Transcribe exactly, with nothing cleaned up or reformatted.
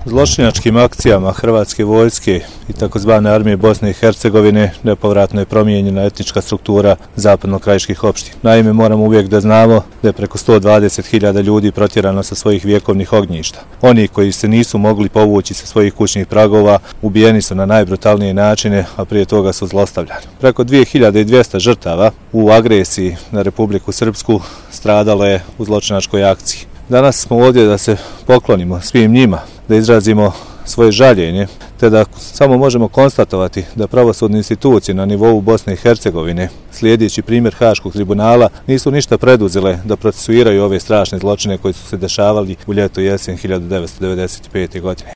Zločinačkim akcijama Hrvatske vojske i takozvane armije Bosne i Hercegovine nepovratno je promijenjena etnička struktura zapadno-krajiških opština. Naime, moramo uvijek da znamo da je preko sto dvadeset hiljada ljudi protjerano sa svojih vjekovnih ognjišta. Oni koji se nisu mogli povući sa svojih kućnih pragova ubijeni su na najbrutalnije načine, a prije toga su zlostavljani. Preko dvije hiljade dvjesto žrtava u agresiji na Republiku Srpsku stradalo je u zločinačkoj akciji. Danas smo ovdje da se poklonimo svim njima, da izrazimo svoje žaljenje, te da samo možemo konstatovati da pravosudne institucije na nivou Bosne i Hercegovine, slijedeći primjer Haškog tribunala, nisu ništa preduzele da procesuiraju ove strašne zločine koji su se dešavali u ljeto i jesen hiljadu devetsto devedeset pete. godine.